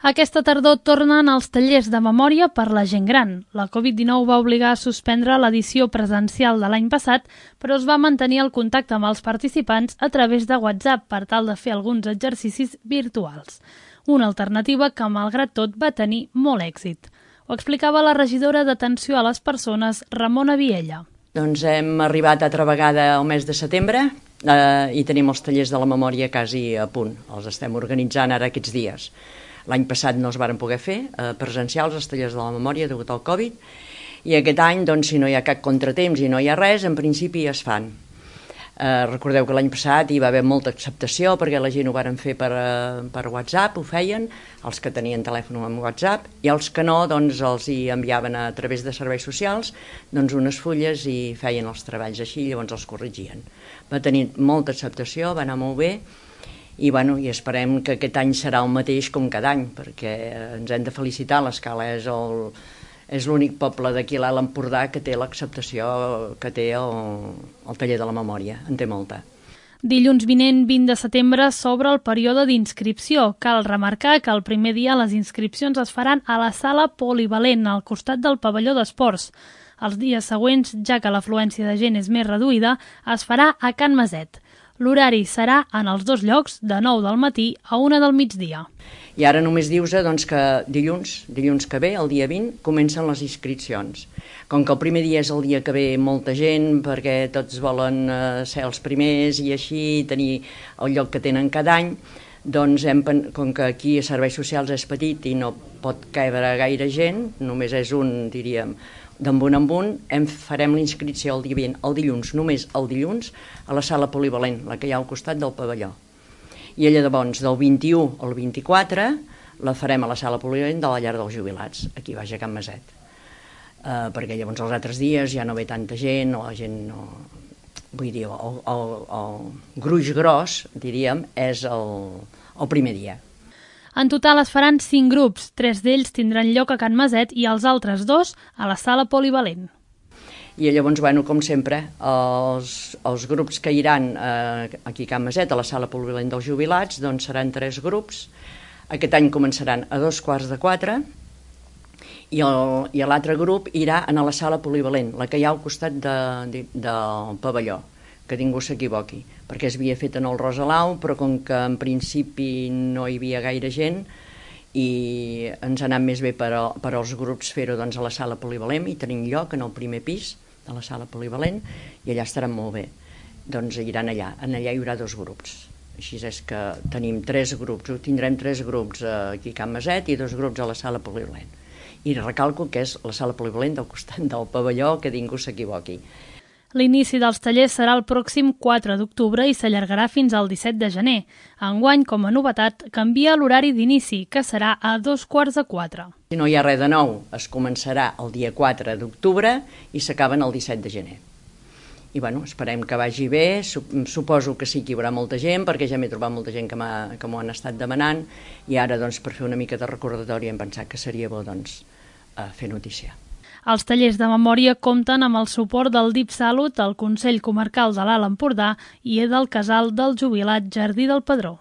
Aquesta tardor tornen els tallers de memòria per la gent gran. La Covid-19 va obligar a suspendre l'edició presencial de l'any passat, però es va mantenir el contacte amb els participants a través de WhatsApp per tal de fer alguns exercicis virtuals. Una alternativa que, malgrat tot, va tenir molt èxit. Ho explicava la regidora d'Atenció a les Persones, Ramona Viella. Doncs hem arribat altra vegada al mes de setembre i tenim els tallers de la memòria quasi a punt. Els estem organitzant ara aquests dies. L'any passat no es varen poder fer presencials els tallers de la memòria degut al Covid i aquest any, doncs, si no hi ha cap contratemps i no hi ha res, en principi es fan. Recordeu que l'any passat hi va haver molta acceptació perquè la gent ho varen fer per WhatsApp, ho feien, els que tenien telèfon amb WhatsApp, i els que no, doncs els hi enviaven a través de serveis socials doncs unes fulles i feien els treballs així, llavors els corregien. Va tenir molta acceptació, va anar molt bé, i esperem que aquest any serà el mateix com cada any, perquè ens hem de felicitar, l'Escala és l'únic poble d'aquí a l'Alt Empordà que té l'acceptació que té el taller de la memòria, en té molta. Dilluns vinent, 20 de setembre, s'obre el període d'inscripció. Cal remarcar que el primer dia les inscripcions es faran a la sala polivalent, al costat del pavelló d'esports. Els dies següents, ja que l'afluència de gent és més reduïda, es farà a Can Maset. L'horari serà en els dos llocs, de 9 del matí a 1 del migdia. I ara només dius-se que dilluns que ve, el dia 20, comencen les inscripcions. Com que el primer dia és el dia que ve molta gent, perquè tots volen ser els primers i així tenir el lloc que tenen cada any, doncs com que aquí a Serveis Socials és petit i no pot cabre gaire gent, només és un, diríem, d'en un, farem la inscripció el dia 20, el dilluns, només el dilluns, a la sala polivalent, la que hi ha al costat del pavelló. I llavors, del 21 al 24, la farem a la sala polivalent de la llar dels jubilats, aquí baix a Can Maset. Perquè llavors els altres dies ja no ve tanta gent, o la gent no... Vull dir, el gruix gros, diríem, és el primer dia. En total es faran 5 grups, 3 d'ells tindran lloc a Can Maset i els altres 2 a la sala polivalent. I llavors, com sempre, els grups que iran aquí a Can Maset, a la sala polivalent dels jubilats, doncs seran 3 grups. Aquest any començaran a 3:45 i l'altre grup irà a la sala polivalent, la que hi ha al costat del pavelló, que ningú s'equivoqui, perquè es havia fet en el Rosalau, però com que en principi no hi havia gaire gent i ens ha anat més bé per als grups fer-ho a la sala polivalent i tenim lloc en el primer pis de la sala polivalent i allà estaran molt bé. Doncs iran allà hi haurà 2 grups. Així és que tenim 3 grups, tindrem 3 grups aquí a Can Maset i 2 grups a la sala polivalent. I recalco que és la sala polivalent del costat del pavelló, que ningú s'equivoqui. L'inici dels tallers serà el pròxim 4 d'octubre i s'allargarà fins al 17 de gener. Enguany, com a novetat, canvia l'horari d'inici, que serà a 3:45. Si no hi ha res de nou, es començarà el dia 4 d'octubre i s'acaben el 17 de gener. I esperem que vagi bé, suposo que sí que hi haurà molta gent, perquè ja m'he trobat molta gent que m'ho han estat demanant, i ara, per fer una mica de recordatori hem pensat que seria bo, fer notícia. Els tallers de memòria compten amb el suport del DIPSalut, el Consell Comarcal de l'Alt Empordà i del Casal del Jubilat Jardí del Pedró.